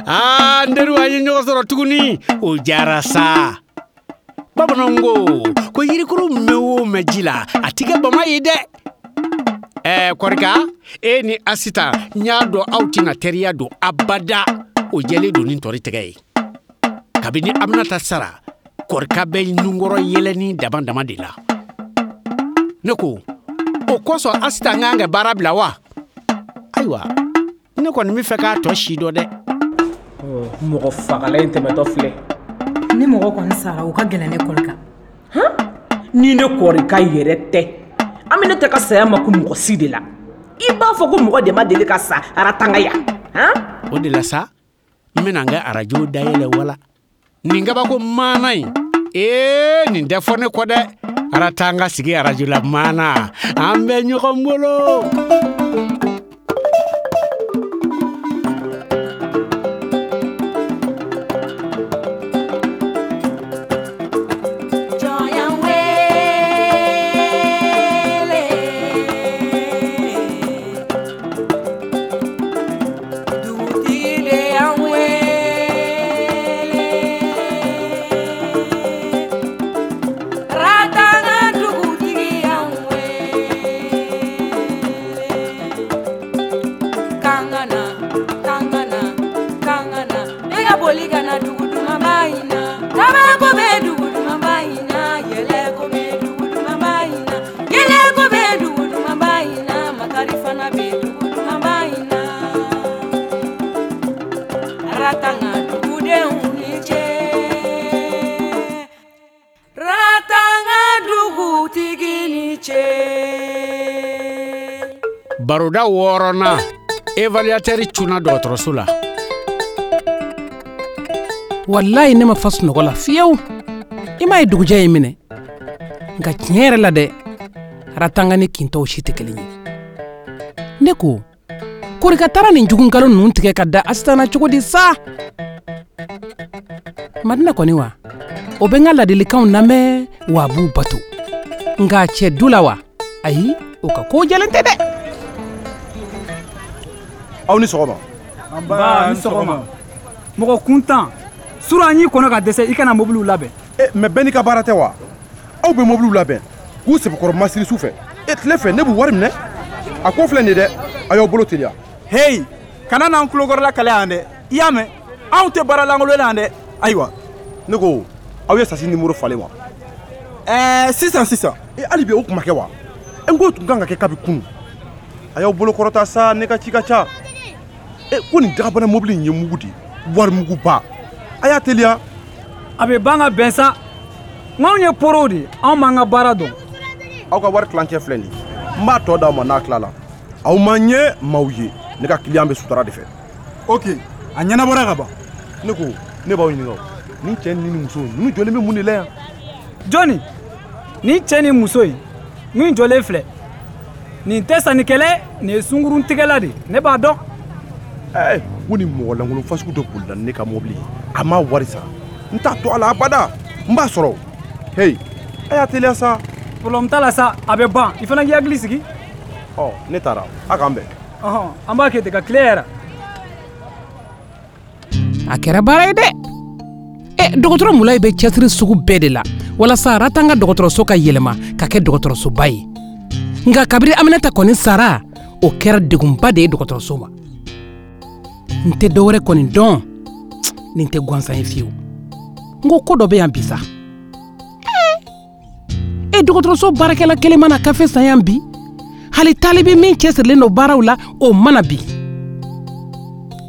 Aa, n teriw, an ye ɲɔgɔn sɔrɔ tuguni, o diyara sa. Bamananw ko ko yirikuru mɛn o mɛn ji la, a ti kɛ bama ye dɛ. Ɛɛ Kɔrika, e ni Asitan, n y'a dɔn aw tɛna teriya don abada, o jɛlen don ni tɔri tɛgɛ ye. Kabini Aminata sara, Kɔrika bɛ nunkɔrɔ yɛlɛni dama dama de la. Ne ko o kosɔn Asitan kan ka baara bila wa? Ayiwa, ne kɔni bɛ fɛ k'a tɔ si dɔn dɛ. Mɔgɔ fagala in tɛmɛtɔ filɛ. Ni mɔgɔ kɔni sara, o ka gɛlɛn ne Kɔrika. Ni ne Kɔrika yɛrɛ tɛ, an bɛ ne tɛ ka saya ma ko mɔgɔ si de la. I b'a fɔ ko mɔgɔ de ma deli ka sa Aratanga yan. O de la sa, n bɛna n ka arajo dayɛlɛ wala nin kabako maana in. Ee, nin tɛ fɔ ne kɔ dɛ. Aratanga sigi arajo la maana, an bɛ ɲɔgɔn bolo. Baroda wɔɔrɔnan, évaluateur cunna dɔgɔtɔrɔso la. Walayi, ne ma fa sunɔgɔ la fiyewu. I m'a ye, dugujɛ ye minɛ. Nka tiɲɛ yɛrɛ la dɛ, Aratanga ni kintɔw si tɛ kelen ye. Ne ko Korika taara nin jugunkalo ninnu tigɛ ka da Asitan na cogo di sa? Madina kɔni wa, o bɛ n ka ladilikanw lamɛn wa, a b'u bato. Nka cɛ du la wa, ayi, o ka ko jɛlen tɛ dɛ. Aw ni sɔgɔma. Nba, ni sɔgɔma. Mɔgɔ kuntan sura, an y'i kɔnɔ ka dɛsɛ i kana mobiliw labɛn. E mɛ, bɛɛ n'i ka baara tɛ wa? Aw bɛ mobiliw labɛn k'u sɛbɛkɔrɔ masiri su fɛ, e tile fɛ ne b'u wari minɛ. A ko filɛ nin ye dɛ, a y'aw bolo teliya. Heyi, kana n'an tulokɔrɔla kalaya yan dɛ. I y'a mɛn, anw tɛ baara lankolon na yan dɛ. Ayiwa, ne ko aw ye sasi nimoro falen wa? Ɛɛ, sisan sisan. E, hali bi o kuma kɛ wa? E, n ko tun kan ka kɛ kabi kunu. A y'aw bolo kɔrɔta sa, ne ka ci ka ca. E ko nin dagabana mobili in ye mugu de ye, wari muguba. A y'a teliya. A bɛ ban ka bɛn sa. N ye porow de ye, anw m'an ka baara dɔn. Aw ka wari tilancɛ filɛ nin ye, n b'a tɔ d'aw ma n'a tilala. Aw ma ɲɛ maaw ye, ne ka client bɛ sutura de fɛ. Ok, a ɲɛnabɔra ka ban. Ne ko ne b'aw ɲininka, nin cɛ ni muso ninnu jɔlen bɛ mun de la yan? Jɔnni? Nin cɛ ni muso in min jɔlen filɛ nin tɛ sannikɛlɛ, nin ye sunkuruntigɛla de, ne b'a dɔn. Ɛɛ, ko nin mɔgɔ lankolon fasugu dɔ bolila ne ka mobili ye, a ma wari sara. N t'a to a la abada, n b'a sɔrɔ. Heyi, a y'a teliya sa. Problème t'a la sa, a bɛ ban, i fana k'i hakili sigi. Ɔ, ne taara, a k'an bɛn. Ɔhɔn, an b'a kɛ ten ka tile yɛrɛ. A kɛra baara ye dɛ. Ɛ, dɔgɔtɔrɔ Mulayi bɛ cɛsiri sugu bɛɛ de la walasa Aratanga dɔgɔtɔrɔso ka yɛlɛma ka kɛ dɔgɔtɔrɔsoba ye. Nka kabiri Aminata kɔni sara, o kɛra degunba de ye dɔgɔtɔrɔso ma. N tɛ dɔwɛrɛ kɔni dɔn, nin tɛ gansan ye fiyewu. N ko ko dɔ bɛ yan bi sa. E, dɔgɔtɔrɔso baarakɛla kelen mana kafe san yan bi, hali talibi min cɛsirilen don baaraw la, o mana bi,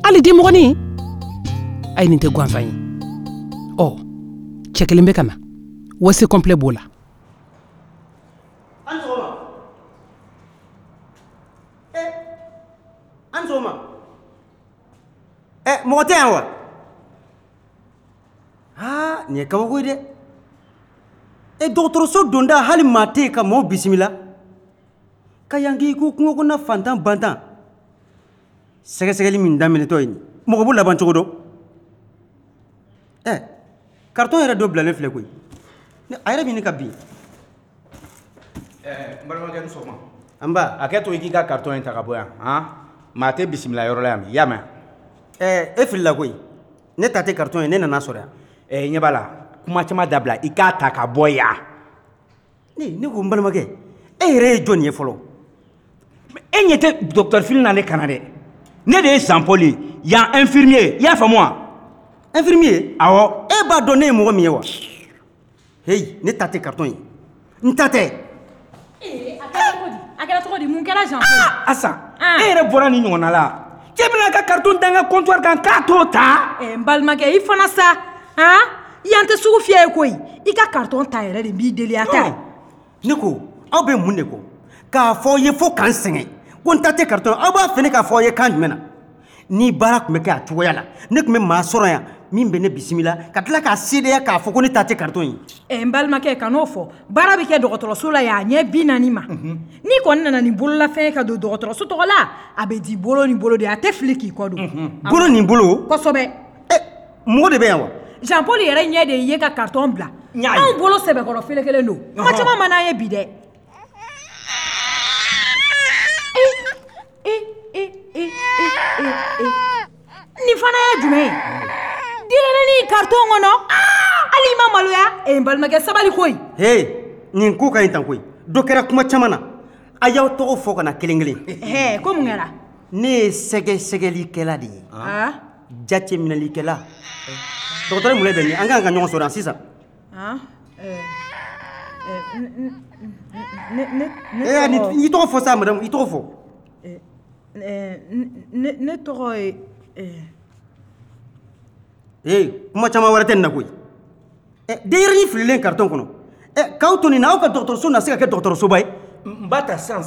hali dimɔgɔnin. Ayi, nin tɛ gansan ye. Ɔ, cɛ kelen bɛ ka na, WC complet b'o la. An sɔgɔma. E, an sɔgɔma. Ɛ, mɔgɔ tɛ yan wa? Aa, nin ye kabako ye dɛ. E, dɔgɔtɔrɔso donda, hali maa tɛ yen ka maaw bisimila ka yan k'i ko kungo kɔnɔna fantan bantan. Sɛgɛsɛgɛli min daminɛtɔ ye nin, mɔgɔ b'o laban cogo dɔn. Ɛ, carton yɛrɛ dɔ bilalen filɛ koyi, a yɛrɛ bɛ ɲini ka bin. N balimakɛ, ni sɔgɔma. An ba. A kɛ to i k'i ka carton in ta ka bɔ yan. Han, maa tɛ bisimila yɔrɔ la yan bi, i y'a mɛn? E filila koyi. Ne ta tɛ carton ye, ne nana sɔrɔ yan. Ɲɛ b'a la, kuma caman dabila, i k'a ta ka bɔ yan. Ne ko n balimakɛ, e yɛrɛ ye jɔn ye fɔlɔ? E ɲɛ tɛ docteur Fili na ne kana dɛ. Ne de ye Jean Paul ye, yan infirmier, i y'a faamu wa? Infirmier? Awɔ. E b'a dɔn ne ye mɔgɔ min ye wa? Heyi, ne ta tɛ carton ye. N ta tɛ. A kɛra cogo di? Mun kɛra Jean Paul? Asa, e yɛrɛ bɔra nin ɲɔgɔnna la. Cɛ bɛna ka carton da n ka comptoir kan k'a t'o ta. N balimakɛ, i fana sa. Han? Yan tɛ sugu fiyɛ ye koyi. I ka carton ta yɛrɛ de b'i deli a ta. Ne ko, aw bɛ mun de kɔ? K'a fɔ aw ye fo k'an sɛgɛn. Ko n ta tɛ carton, aw b'a fɛ ne k'a fɔ aw ye kan jumɛn na? Ni baara tun bɛ kɛ a cogoya la, ne tun bɛ maa sɔrɔ yan min bɛ ne bisimila ka tila k'a seereya k'a fɔ ko ne ta tɛ carton ye. N balimakɛ, kan'o fɔ. Baara bɛ kɛ dɔgɔtɔrɔso la yan a ɲɛ 40 ma. N'i kɔni nana ni bololafɛn ye ka don dɔgɔtɔrɔso tɔgɔ la, a bɛ di bolo ni bolo de, a tɛ fili k'i kɔ don. Bolo ni bolo? Kosɛbɛ. Mɔgɔ de bɛ yan wa? Jean Paul yɛrɛ ɲɛ de ye ka carton bila. Anw bolo sɛbɛkɔrɔ felekelen don. Kuma caman man d'an ye bi dɛ. Nin fana ye jumɛn ye? Denyɛrɛnin carton kɔnɔ. Hali i ma maloya? N balimakɛ, sabali koyi. Hey, nin ko ka ɲi tan koyi. Dɔ kɛra kuma caman na. A y'aw tɔgɔ fɔ ka na kelen kelen. Ko mun kɛra? Ne ye sɛgɛsɛgɛlikɛla de ye. Jateminɛlikɛla. Dɔgɔtɔrɔ Mulayi bɛ min? An ka kan ka ɲɔgɔn sɔrɔ yan sisan. I tɔgɔ fɔ sa madame, i tɔgɔ fɔ. Ne tɔgɔ ye. Kuma caman wɛrɛ tɛ nin na koyi. Denyɛrɛnin fililen carton kɔnɔ. K'aw to nin na, aw ka dɔgɔtɔrɔso na se ka kɛ dɔgɔtɔrɔsoba ye. N b'a ta sisan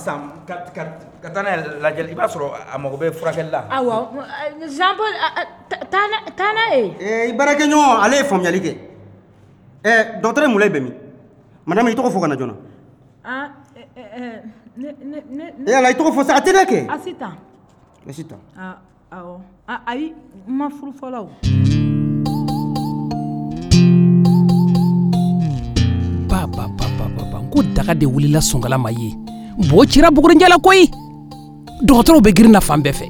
ka taa n'a ye lajɛli, i b'a sɔrɔ a mago bɛ furakɛli la. Awɔ, Jean Paul, taa n'a ye. I baarakɛɲɔgɔn, ale ye faamuyali kɛ. Dɔgɔtɔrɔ Mulayi bɛ min? Madame, i tɔgɔ fɔ ka na joona. Ne. Ala, i tɔgɔ fɔ sa, a tɛ dɛ kɛ. Asitan. Asitan. Awɔ. Ayi, n ma furu fɔlɔ o. Ba ba ba ba ba, n ko daga de wulila sonkala ma ye. Bo cira bugurinjɛ la koyi. Dɔgɔtɔrɔw bɛ girin na fan bɛɛ fɛ.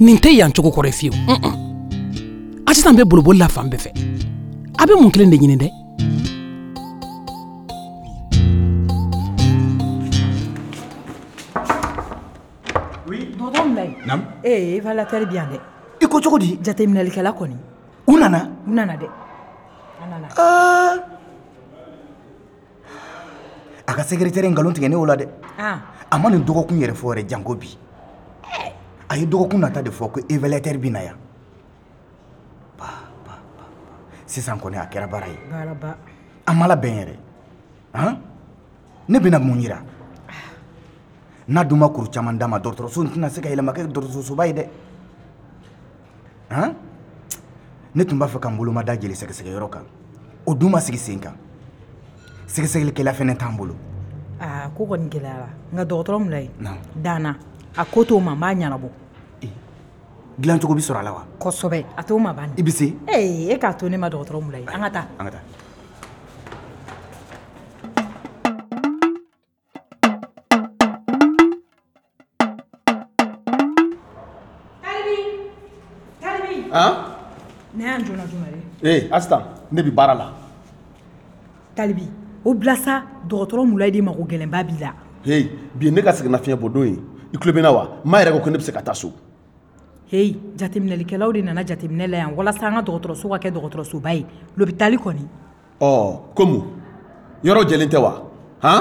Nin tɛ yan cogo kɔrɔ ye fiyewu. Asitan bɛ boliboli la fan bɛɛ fɛ. A bɛ mun kelen de ɲini dɛ? Dɔgɔtɔrɔ Mulayi. Naamu. Évaluateur bi yan dɛ. I ko cogo di? Jateminɛlikɛla kɔni. U nana? U nana dɛ. A nana. A ka secrétaire nkalon tigɛ ne o la dɛ. A ma nin dɔgɔkun yɛrɛ fɔ yɛrɛ janko bi. A ye dɔgɔkun nata de fɔ ko évaluateur bi na yan. Ba ba ba. Sisan kɔni a kɛra baara ye. Baaraba. A ma labɛn yɛrɛ. Han? Ne bɛna mun yira? N'a dun ma kuru caman d'a ma, dɔgɔtɔrɔso tɛna se ka yɛlɛma kɛ dɔgɔtɔrɔsoba ye dɛ. Han? Ne tun b'a fɛ ka n bolo ma da jeli sɛgɛsɛgɛyɔrɔ kan. O dun ma sigi sen kan. Sɛgɛsɛgɛlikɛla fɛnɛ t'an bolo. Ko kɔni gɛlɛyara. Nka dɔgɔtɔrɔ Mulayi, danna. A ko t'o ma, n b'a ɲɛnabɔ. Dilancogo bɛ sɔrɔ a la wa? Kosɛbɛ, a t'o ma ban. I bɛ se? E k'a to ne ma dɔgɔtɔrɔ Mulayi. An ka taa. An ka taa. Han? Ne y'an joona joona dɛ. Asitan, ne bɛ baara la. Talibi, o bila sa, dɔgɔtɔrɔ Mulayi de mago gɛlɛnba b'i la. Hey, bi ye ne ka sɛgɛnnafiɲɛ bɔ don ye. I tulo bɛ n na wa? N m'a yɛrɛ ko ne bɛ se ka taa so. Hey, jateminɛlikɛlaw de nana jateminɛ la yan walasa an ka dɔgɔtɔrɔso ka kɛ dɔgɔtɔrɔsoba ye. L'hôpital kɔni. Ko mun? Yɔrɔ jɛlen tɛ wa? Han?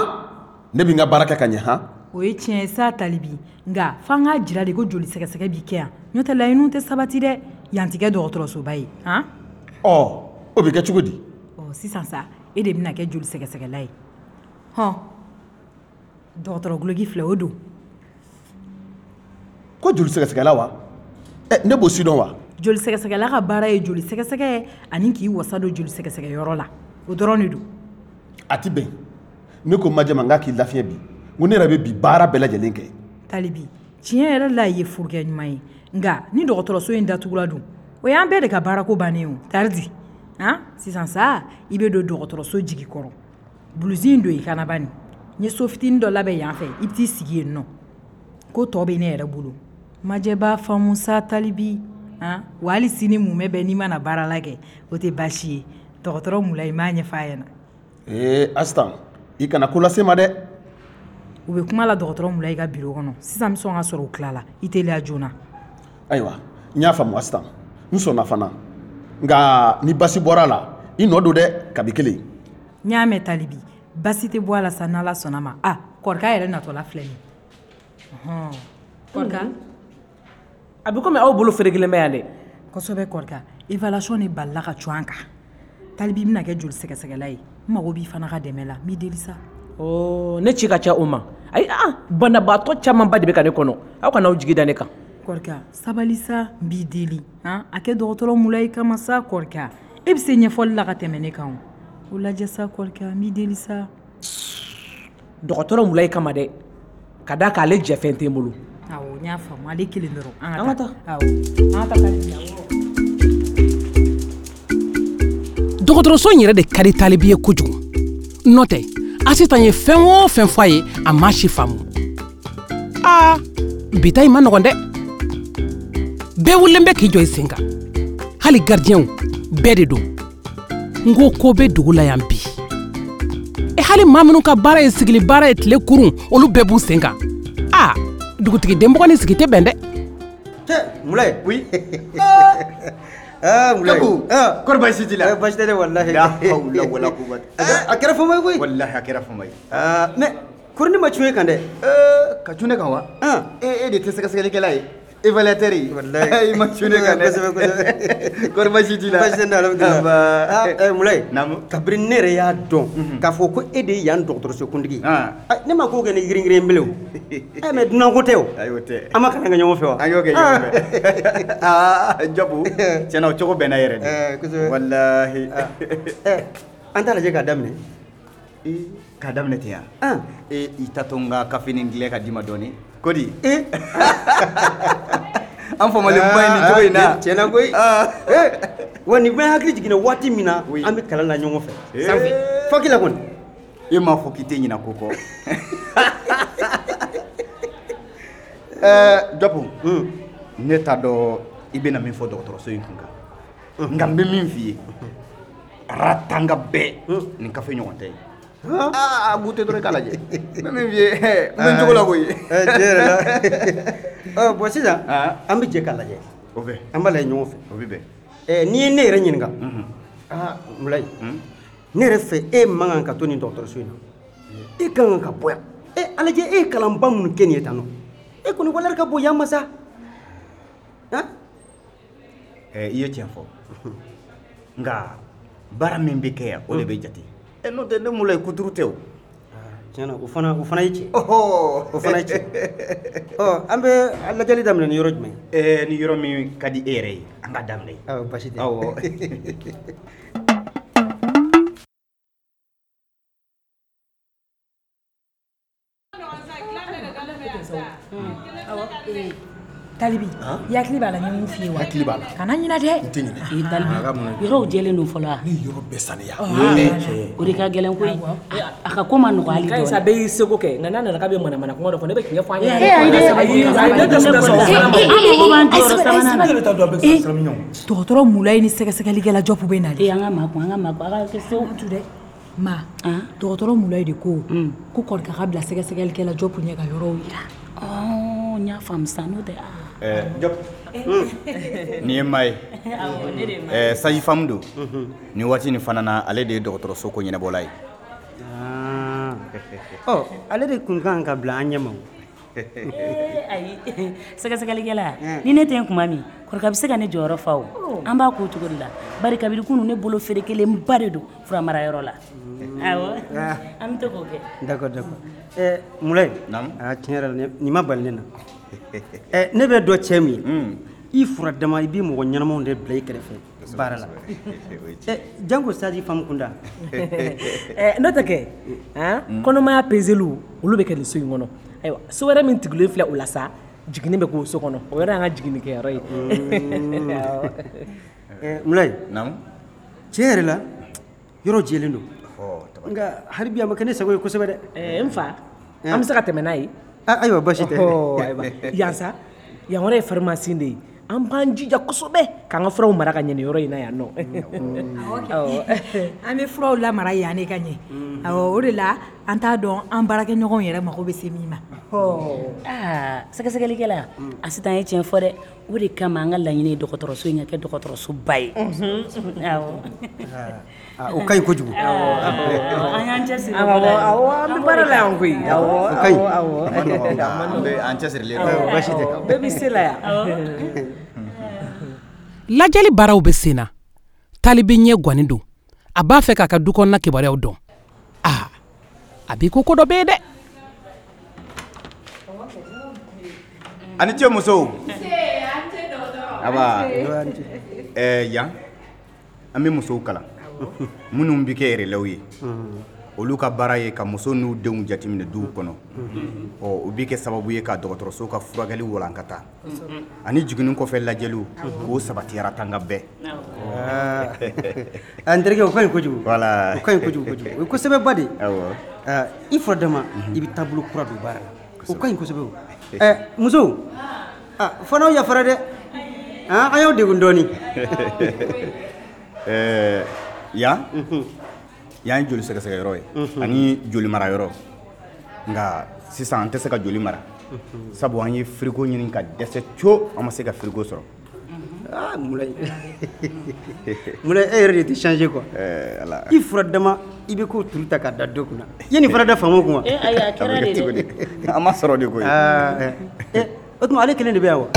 Ne bɛ n ka baara kɛ ka ɲɛ han? O ye tiɲɛ ye sa Talibi, nka f'an k'a jira de ko joli sɛgɛsɛgɛ b'i kɛ yan. N'o tɛ laɲiniw tɛ sabati dɛ. Yan tɛ kɛ dɔgɔtɔrɔsoba ye. Han? O bɛ kɛ cogo di? Sisan sa, e de bɛna kɛ joli sɛgɛsɛgɛla ye. Hɔn, dɔgɔtɔrɔ guloki filɛ, o don. Ko joli sɛgɛsɛgɛla wa? Ne b'o si dɔn wa? Joli sɛgɛsɛgɛla ka baara ye joli sɛgɛsɛgɛ ani k'i wasa don joli sɛgɛsɛgɛyɔrɔ la. O dɔrɔn de don. A tɛ bɛn. Ne ko majɛ ma n k'a k'i lafiɲɛ bi. N ko ne yɛrɛ bɛ bi baara bɛɛ lajɛlen kɛ. Talibi, tiɲɛ yɛrɛ la i ye furukɛ ɲuman ye. Nka ni dɔgɔtɔrɔso in datugula dun, o y'an bɛɛ de ka baarako bannen ye o. Taridi, han, sisan sa i bɛ don dɔgɔtɔrɔso jigi kɔrɔ. Bulusi in don i kana bani. N ye so fitinin dɔ labɛn yan fɛ, i bɛ t'i sigi yen nɔ. Ko tɔ bɛ ne yɛrɛ bolo. Majɛ b'a faamu sa Talibi. Han, wa hali sini mumɛ bɛɛ n'i ma na baara la kɛ, o tɛ baasi ye. Dɔgɔtɔrɔ Mulayi m'a ɲɛfɔ a ɲɛna. Ee Asitan, i kana ko lase ma dɛ. U bɛ kuma la dɔgɔtɔrɔ Mulayi ka biro kɔnɔ. Sisan n bɛ sɔn ka sɔrɔ u tilala. I teliya joona. Ayiwa, n y'a faamu Asitan. N sɔnna fana. Nka ni basi bɔra a la, i nɔ don dɛ, kabi kelen. N y'a mɛn Talibi. Basi tɛ bɔ a la sa n'Ala sɔnna ma. A, Kɔrika yɛrɛ natɔla filɛ nin ye. Ɔhɔn. Kɔrika. A bɛ komi aw bolo ferekelen bɛ yan dɛ. Kosɛbɛ Kɔrika. Évaluation de balila ka cun an kan. Talibi bɛna kɛ joli sɛgɛsɛgɛla ye. N mago b'i fana ka dɛmɛ la. N b'i deli sa. Ɔ, ne ci ka ca o ma. Ayi, ah, banabaatɔ camanba de bɛ ka ne kɔnɔ. Aw kana aw jigi da ne kan. Kɔrika, sabali sa, n b'i deli. Han, a kɛ dɔgɔtɔrɔ Mulayi kama sa Kɔrika. E bɛ se ɲɛfɔli la ka tɛmɛ ne kan o. O lajɛ sa Kɔrika, n b'i deli sa. Dɔgɔtɔrɔ Mulayi kama dɛ. Ka d'a kan ale jɛfɛn tɛ n bolo. Awɔ, n y'a faamu. Ale kelen dɔrɔn. An ka taa. Awɔ. An ka taa Talibi. Awɔ. Dɔgɔtɔrɔso in yɛrɛ de ka di Talibi ye kojugu. N'o tɛ, Asitan ye fɛn o fɛn fɔ a ye, a m'a si faamu. Aa, bi ta in ma nɔgɔn dɛ. Bɛɛ wulilen bɛ k'i jɔ i sen kan. Hali garidiɲɛw, bɛɛ de don. N ko ko bɛ dugu la yan bi. E hali maa minnu ka baara ye sigili baara ye tile kurun, olu bɛɛ b'u sen kan. Aa, dugutigi denmɔgɔ ni sigi tɛ bɛn dɛ. Cɛ, Mulayi. Oui. Ah, Mulayi. Jago. Ah. Kɔri baasi t'i la? Baasi tɛ dɛ walahi. La hawla wala quwwata. A kɛra fama ye koyi. Walahi a kɛra fama ye. Ah, mais kɔri ne ma cun e kan dɛ. Ka cun ne kan wa? Ah. E de tɛ sɛgɛsɛgɛlikɛla ye. Évaluateur ye. Walahi. I ma cun ne kan dɛ. Kosɛbɛ kosɛbɛ. Kɔri baasi t'i la? Baasi tɛ n na alhamdulilah. Aba. Ah, Mulayi. Naamu. Kabini ne yɛrɛ y'a dɔn k'a fɔ ko e de ye yan dɔgɔtɔrɔso kuntigi ye. Ah. Ne ma ko kɛ ni girin-girin bilen o. Mais dunan ko tɛ o. Ayi o tɛ. An ma kalan kɛ ɲɔgɔn fɛ wa? An y'o kɛ ɲɔgɔn fɛ. Aa Jabu, tiɲɛna o cogo bɛnna yɛrɛ de. Kosɛbɛ. Walahi. An t'a lajɛ k'a daminɛ. K'a daminɛ ten yan? Ah. I ta to n ka kafenin dilan ka d'i ma dɔɔni. Ko di? An famalenba ye nin cogo in na. Tiɲɛna koyi. Wa nin bɛɛ hakili jiginna waati min na an bɛ kalan na ɲɔgɔn fɛ. Sanfɛ. Faki la kɔni. E m'a fɔ k'i tɛ ɲinɛ ko kɔ. Jabu, ne t'a dɔn i bɛna min fɔ dɔgɔtɔrɔso in kun kan. Nka n bɛ min f'i ye, Ratanga bɛɛ nin kafe ɲɔgɔn tɛ yen. Aa, goûter dɔrɔn i k'a lajɛ. N bɛ min f'i ye, n bɛ n cogo la koyi. Tiɲɛ yɛrɛ la. Bon sisan, an bɛ jɛ k'a lajɛ. O bɛ. An b'a lajɛ ɲɔgɔn fɛ. O bɛ bɛn. N'i ye ne yɛrɛ ɲininka, aa Mulayi, ne yɛrɛ fɛ e man kan ka to nin dɔgɔtɔrɔso in na. E ka kan ka bɔ yan. A lajɛ e ye kalanba minnu kɛ nin ye tan nɔ. E kɔni valeur ka bon yan ma sa. Han? I ye tiɲɛ fɔ. Nka baara min bɛ kɛ yan, o de bɛ jate. N'o tɛ ne Mulayi kuturu tɛ o. Tiɲɛna o fana ye tiɲɛ. O fana ye tiɲɛ. Ɔ, an bɛ lajɛli daminɛ ni yɔrɔ jumɛn ye? Ni yɔrɔ min ka di e yɛrɛ ye, an ka daminɛ yen. Awɔ, baasi tɛ. Awɔ. Talibi, i hakili b'a la n ye mun f'i ye wa? Hakili b'a la. Kana ɲinɛ dɛ. N tɛ ɲinɛ. Ee Talibi, yɔrɔw jɛlen don fɔlɔ wa? Ne ye yɔrɔ bɛɛ saniya. O de ka gɛlɛn koyi. A ka ko ma nɔgɔ hali Ka ɲi sa dɔɔni. bɛɛ y'i seko kɛ nka n'a nana k'a bɛ manamana kuma dɔ fɔ ne bɛ tiɲɛ fɔ a ɲɛna. Ee, ayi dɛ, Ayi, ayi, ne tɛ sɔn o fana ma. An mago b'an jɔyɔrɔ sabanan na. Dɔgɔtɔrɔ Mulayi ni sɛgɛsɛgɛlikɛla Jɔpu bɛ na de. Ee, an ka makun, an ka makun, a ka kɛ sewu. Tu dɛ. Ma, dɔgɔtɔrɔ Mulayi de ko ko Kɔrika ka bila sɛgɛsɛgɛlikɛla Jɔpu ɲɛ ka yɔrɔw yira. Ɔɔ, n y'a faamu sisan, n'o tɛ aa. Jɔp, nin ye maa ye. Awɔ, ne de ye maa ye. Sage-femme don. Nin waati nin fana na, ale de ye dɔgɔtɔrɔso ko ɲɛnabɔla ye. Ɔ, ale de tun kan ka bila an ɲɛ ma o. Ee, ayi, sɛgɛsɛgɛlikɛla, ni ne tɛ yen tuma min, Kɔrika bɛ se ka ne jɔyɔrɔ fa o. An b'a k'o cogo de la. Bari kabini kunun ne bolo ferekelenba de don furamarayɔrɔ la. Awɔ, an bɛ to k'o kɛ. D'accord, d'accord. Mulayi. Naamu. Aa, tiɲɛ yɛrɛ la nin ma bali ne na. Ne bɛ dɔn cɛ min ye, i fura dama i bɛ mɔgɔ ɲɛnamaw de bila i kɛrɛfɛ baara la. Janko sage-femme kunda. N'o tɛ kɛ, han, kɔnɔmaya peseliw olu bɛ kɛ nin so in kɔnɔ. Ayiwa, so wɛrɛ min tugulen filɛ o la sa, jiginni bɛ k'o so kɔnɔ. O yɛrɛ y'an ka jiginnikɛyɔrɔ ye. Mulayi. Naamu. Tiɲɛ yɛrɛ la, yɔrɔ jɛlen don. Nka hali bi a ma kɛ ne sago ye kosɛbɛ dɛ. N fa, an bɛ se ka tɛmɛ n'a ye. Ayiwa, baasi tɛ. Ayiwa, yan sa, yan yɔrɔ ye pharmacie de ye. An b'an jija kosɛbɛ k'an ka furaw mara ka ɲɛ nin yɔrɔ in na yan nɔ. An bɛ furaw lamara yan ne ka ɲɛ. Awɔ, o de la an t'a dɔn an baarakɛɲɔgɔnw yɛrɛ mago bɛ se min ma. Aa, sɛgɛsɛgɛlikɛla, Asitan ye tiɲɛ fɔ dɛ. O de kama an ka laɲini ye dɔgɔtɔrɔso in ka kɛ dɔgɔtɔrɔsoba ye. Awɔ. O ka ɲi kojugu. An y'an cɛsiri. Awɔ, an bɛ baara la yan koyi. Awɔ, o ka ɲi. Awɔ. An bɛ an cɛsirilen don. Baasi tɛ. Bɛɛ bɛ se la yan. Lajɛli baaraw bɛ sen na. Talibi ɲɛ gannen don. A b'a fɛ k'a ka du kɔnɔna kibaruyaw dɔn. Aa, a b'i ko ko dɔ bɛ yen dɛ. A ni ce musow. Aba yan an bɛ musow kalan minnu bɛ kɛ relais ye, olu ka baara ye ka muso n'u denw jateminɛ duw kɔnɔ. Ɔ, o bɛ kɛ sababu ye ka dɔgɔtɔrɔso ka furakɛli walankata ani jiginni kɔfɛ lajɛliw k'o sabati Ratanga bɛɛ. N terikɛ, o ka ɲi kojugu. Voilà, o ka ɲi kojugu kojugu, o ye kosɛbɛba de ye. Awɔ. I fura dama i bɛ taabolo kura don baara la, o ka ɲi kosɛbɛ. O musow, fo n'aw yafara dɛ, an y'aw degun dɔɔnin. Yan yan ye joli sɛgɛsɛgɛyɔrɔ ye ani joli mara yɔrɔ. Nka sisan an tɛ se ka joli mara, sabu an ye frigo ɲini ka dɛsɛ co, an ma se ka frigo sɔrɔ. Aa, Mulayi, Mulayi, e yɛrɛ de tɛ changer quoi. I fura dama i bɛ ko turu ta k'a da dɔ kunna, i ye nin fana da faamaw kun wa? Ayi, a kɛra de dɛ. An ma sɔrɔ de koyi. O tuma ale kelen de bɛ yan wa?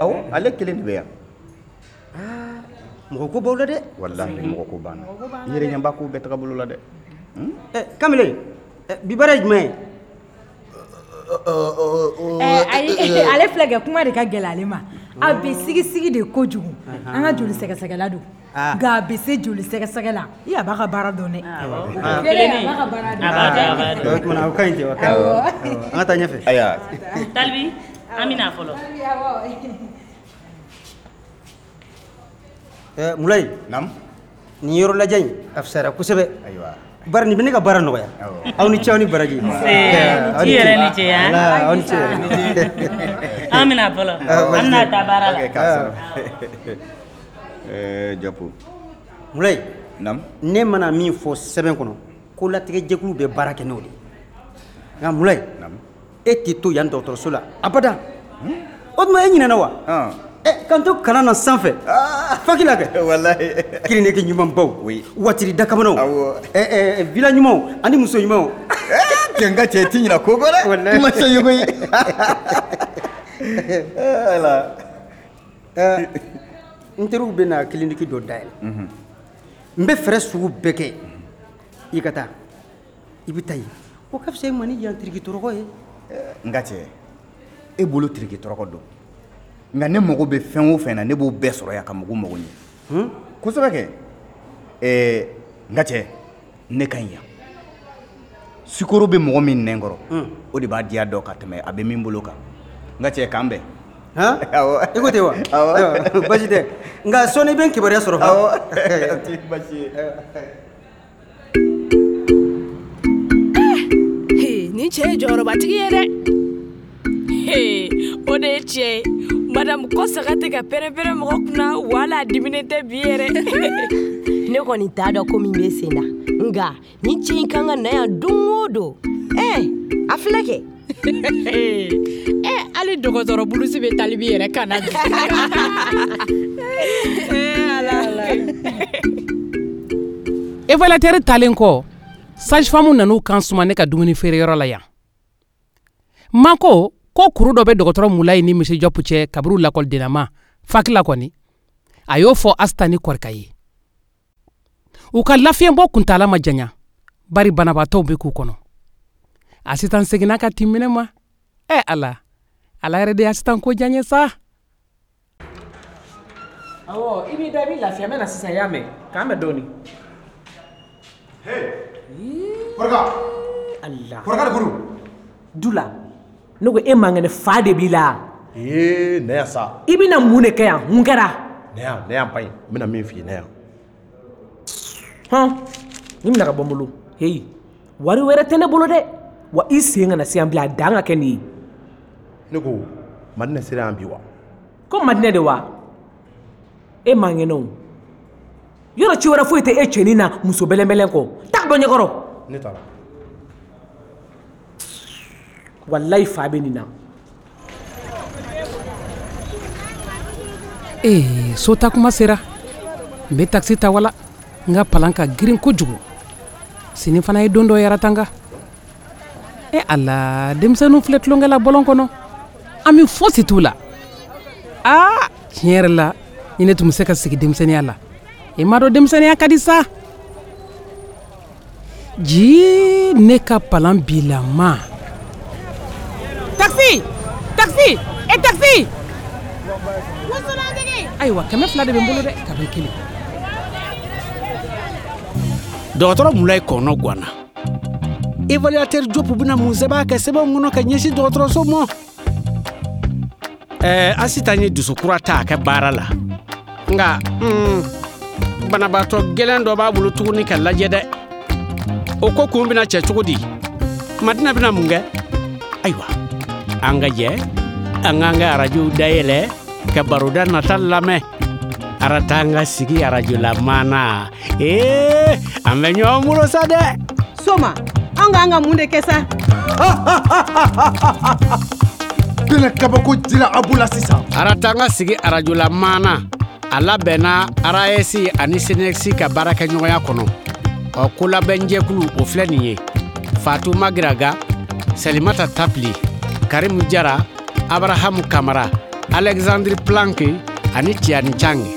Awɔ, ale kelen de bɛ yan. Mɔgɔ ko b'aw la dɛ. Walahi, mɔgɔ ko banna. I yɛrɛ ɲɛ b'a ko bɛɛ taga bolo la dɛ. Kamalen, bi baara ye jumɛn ye? Ayi, ale filɛ kɛ kuma de ka gɛlɛn ale ma. A bɛ sigisigi de kojugu. An ka joli sɛgɛsɛgɛla don, nka a bɛ se joli sɛgɛsɛgɛ la. I a b'a ka baara dɔn dɛ. A b'a ka baara dɔn. O tuma o ka ɲi ten, o ka ɲi. An ka taa ɲɛfɛ. Ayiwa. Talibi, an bɛ na fɔlɔ. Mulayi. Naamu. Nin yɔrɔ lajɛ in a fisayara kosɛbɛ. Ayiwa. Bari nin bɛ ne ka baara nɔgɔya. Aw ni ce, aw ni baraji. Nse, i yɛrɛ ni ce. Aw ni ce. An bɛna fɔlɔ. An bɛna taa baara la. Japo. Mulayi. Naamu. Ne mana min fɔ sɛbɛn kɔnɔ, ko latigɛjɛkulu bɛ baara kɛ n'o de ye. Nka Mulayi, e tɛ to yan dɔgɔtɔrɔso la abada. O tuma e ɲinɛna wa? K'an to kalan na sanfɛ, faki la kɛ. Walahi. Kiriniki ɲumanbaw. Watiri dakamanaw. Villa ɲumanw ani muso ɲumanw. Cɛ, n ka cɛ, i tɛ ɲinɛ ko kɔ dɛ. I ma se koyi. Ala. N teriw bɛ na kiliniki dɔ dayɛlɛ. N bɛ fɛɛrɛ sugu bɛɛ kɛ i ka taa. I bɛ taa yen. O ka fisa i ma ni yan tiriki tɔrɔkɔ ye. N ka cɛ, e bolo tiriki tɔrɔkɔ don. Nka ne mago bɛ fɛn o fɛn na, ne b'o bɛɛ sɔrɔ yan ka mɔgɔw mago ɲɛ. Kosɛbɛ kɛ. N ka cɛ, ne ka ɲi yan. Sukaro bɛ mɔgɔ min nɛn kɔrɔ, o de b'a diya dɔn ka tɛmɛ a bɛ min bolo kan. N ka cɛ, k'an bɛn. I ko ten wa? Awɔ. Baasi tɛ. Nka sɔɔni i bɛ n kibaruya sɔrɔ. Awɔ. O tɛ baasi ye. Nin cɛ ye jɔyɔrɔbatigi ye dɛ. O de ye tiɲɛ ye. Madame Kɔsaga tɛ ka pɛrɛn-pɛrɛn mɔgɔ kunna, wala a diminen tɛ bi yɛrɛ. Ne kɔni t'a dɔn ko min bɛ sen na, nka nin cɛ in kan ka na yan don o don. A filɛ kɛ. Hali dɔgɔtɔrɔ bulusi bɛ Talibi yɛrɛ kan na bi. Ala. Évaluateur talen kɔ, sage-femme nan'u kan suma ne ka dumuni feereyɔrɔ la yan. Mako ko kuru dɔ bɛ dɔgɔtɔrɔ Mulayi ni Monsieur Diop cɛ kaburu lakɔlidennama faki la kɔni, a y'o fɔ Asita ni Kɔrika ye. U ka lafiɲɛbɔ kuntaala ma janya, bari banabaatɔw bɛ k'u kɔnɔ. Asitan seginna ka tin minɛ ma. Ala, Ala yɛrɛ de ye Asitan ko diya n ye sa. Awɔ, i b'i da, i b'i lafiya. N bɛ na sisan, i y'a mɛn? K'an bɛn dɔɔnin. Kɔrika. Allah. Kɔrika de ko don. Dula, ne ko e man kɛnɛ, fa de b'i la. Ee, na yan sa. I bɛna mun de kɛ yan? Mun kɛra? Na yan, na yan ba in. N bɛna min f'i ye, na yan. Hɔn, nin minɛ ka bɔ n bolo. Heyi, wari wɛrɛ tɛ ne bolo dɛ. Wa i sen kana se yan bilen, a dan ka kɛ nin ye. Ne ko, Madinɛ sera yan bi wa? Ko Madinɛ de wa? E man kɛnɛ o. Yɔrɔ ci wɛrɛ foyi tɛ e cɛnin na muso bɛlɛnbɛlɛn kɔ. Taa bɔ ɲɛkɔrɔ. Ne taara. Walayi fa bɛ nin na. Ee so taa kuma sera n bɛ takisi ta wala n ka palan ka girin kojugu sini fana ye don dɔ ye Aratanga e ala denmisɛnninw filɛ tulonkɛ la bɔlɔn kɔnɔ ami fosi t'u la aa tiɲɛ yɛrɛ la ni ne tun bɛ se ka segin denmisɛnninya la i m'a dɔn denmisɛnninya ka di sa jii ne ka palan bilama takisi takisi e takisi ayiwa 200 de bɛ n bolo dɛ kabini kelen dɔgɔtɔrɔ mulayi kɔnɔ gwanna évaluateur Diop bɛna mun sɛbɛn a ka sɛbɛnw kɔnɔ ka ɲɛsin dɔgɔtɔrɔso ma ɛɛ Asitan ye dusu kura ta a ka baara la nka banabaatɔ gɛlɛn dɔ b'a bolo tuguni ka lajɛ dɛ o ko kun bɛna cɛ cogo di Madina bɛna mun kɛ ayiwa an ka jɛ an k'an ka arajow dayɛlɛ ka baroda nata lamɛn Aratanga sigi arajola maana ee an bɛ ɲɔgɔn bolo sa dɛ Soma an k'an ka mun de kɛ sa Bɛna kabako jira aw la sisan Aratanga sigi arajola maana a labɛnna RAS ani SYNECS ka baarakɛɲɔgɔnya kɔnɔ ɔ kolabɛnjɛkulu o filɛ nin ye Fatou Magiraga Salimata Tapili Karimu Jara Abrahamu Kamara Alexandre Planck ani Tiani Chang.